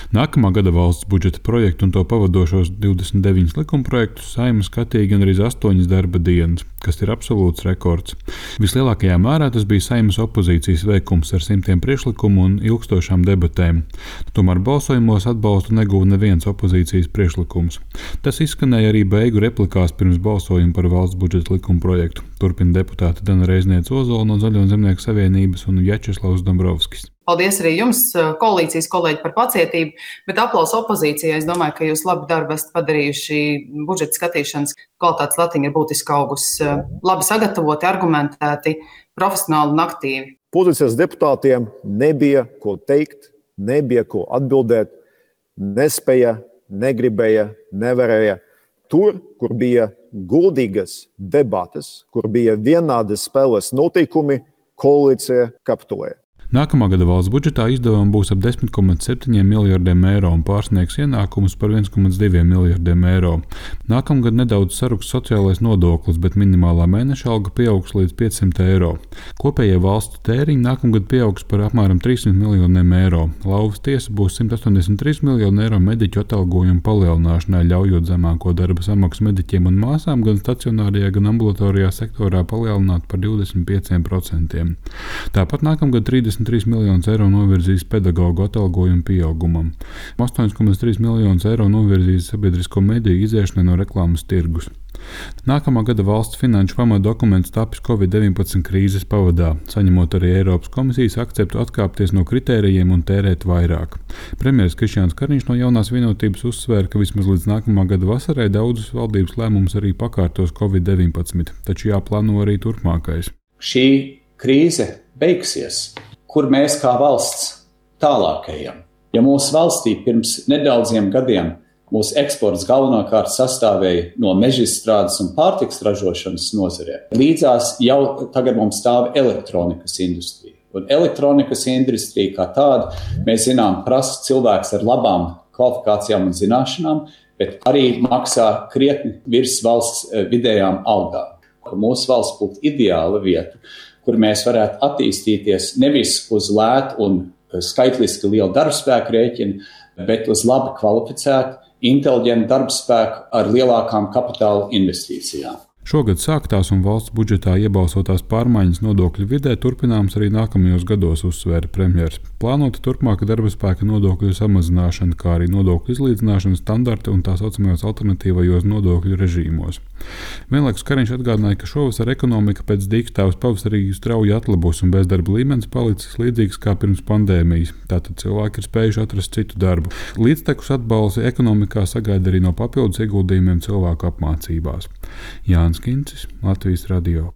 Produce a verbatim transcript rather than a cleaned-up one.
Nākamā gada valsts budžeta projektu un to pavadošos divdesmit deviņus likumprojektus Saeima skatīja gandrīz astoņas darba dienas, kas ir absolūts rekords. Vislielākajā mērā tas bija Saeimas opozīcijas veikums ar simtiem priekšlikumu un ilgstošām debatēm. Tomēr balsojumos atbalstu neguva neviens opozīcijas priekšlikums. Tas izskanēja arī beigu replikās pirms balsojuma par valsts budžeta likumprojektu. Turpina deputāti Dana Reizniece-Ozola no Zaļo un Zemnieku savienības un Vjačeslavs Dombrovskis. Paldies arī jums, koalīcijas kolēģi, par pacietību, bet aplausu opozīcijai. Es domāju, ka jūs labu darbu esat padarījuši. Budžeta skatīšanas kvalitātes latiņa ir būtiski augusi. Labi sagatavoti, argumentēti, profesionāli un aktīvi. Pozīcijas deputātiem nebija ko teikt, nebija ko atbildēt, nespēja, negribēja, nevarēja. Tur, kur bija godīgas debates, kur bija vienādas spēles noteikumi, koalīcija kapitulēja. Nākamā gada valsts budžetā izdevumi būs ap desmit komats septiņi miljardiem eiro un pārsniegs ienākumus par viens komats divi miljardiem eiro. Nākamgad nedaudz saruks sociālais nodoklis, bet minimālā mēneša alga pieaugs līdz piecsimt eiro. Kopējie valsts tēriņi nākamgad pieaugs par apmēram trīssimt miljoniem eiro. Lauvas tiesa būs simt astoņdesmit trīs miljoni eiro mediķu atalgojumu palielināšanai, ļaujot zemāko darba samaksu mediķiem un māsām gan stacionārajā, gan ambulatorijā sektorā palielināt par divdesmit pieciem procentiem. Tāpat nākamgad trīsdesmit trīs miljonus eiro novirzīs pedagoģu atalgojumu pieaugumam. astoņi komats trīs miljonus eiro novirzīs sabiedrisko mediju iziešanai no reklāmas tirgus. Nākamā gada valsts finanšu pamatdokuments tapis covid deviņpadsmit krīzes pavadā, saņemot arī Eiropas komisijas akceptu atkāpties no kritērijiem un tērēt vairāk. Premjeras Krišjāns Kariņš no Jaunās vienotības uzsvēra, ka vismaz līdz nākamā gada vasarai daudzus valdības lēmumus arī pakārtos covid deviņpadsmit, taču jāplāno arī turpmākais. Šī krīze beigsies. Kur mēs kā valsts tālāk ejam? Ja mūsu valstī pirms nedaudziem gadiem mūsu eksports galvenokārt sastāvēja no mežizstrādes un pārtikas ražošanas nozarē, līdzās jau tagad mums stāv elektronikas industrija. Un elektronikas industrija kā tāda, mēs zinām, prasa cilvēks ar labām kvalifikācijām un zināšanām, bet arī maksā krietni virs valsts vidējām algām. Mūsu valsts būtu ideāla vieta, kur mēs varētu attīstīties nevis uz lētu un skaitliski lielu darbspēku rēķinu, bet uz labi kvalificētu, inteliģentu darbspēku ar lielākām kapitāla investīcijām. Šogad sāktās un valsts budžetā iebalsotās pārmaiņas nodokļu vidē turpināmas arī nākamajos gados, uzsvēra premjers. Plānota turpmāka darba spēka nodokļu samazināšana, kā arī nodokļu izlīdzināšana standarta un tā saucamajos alternatīvajos nodokļu režīmos. Vienlaikus Kariņš atgādināja, ka šovasar ekonomika pēc diktāvas pavasarī strauji atlabos un bezdarba līmenis palicis līdzīgs kā pirms pandēmijas. Tātad cilvēki ir spējuši atrast citu darbu. Līdztekus atbalsi ekonomikā sagaida arī no papildus ieguldījumiem cilvēku apmācībās. Jānis Kincis, Latvijas radio.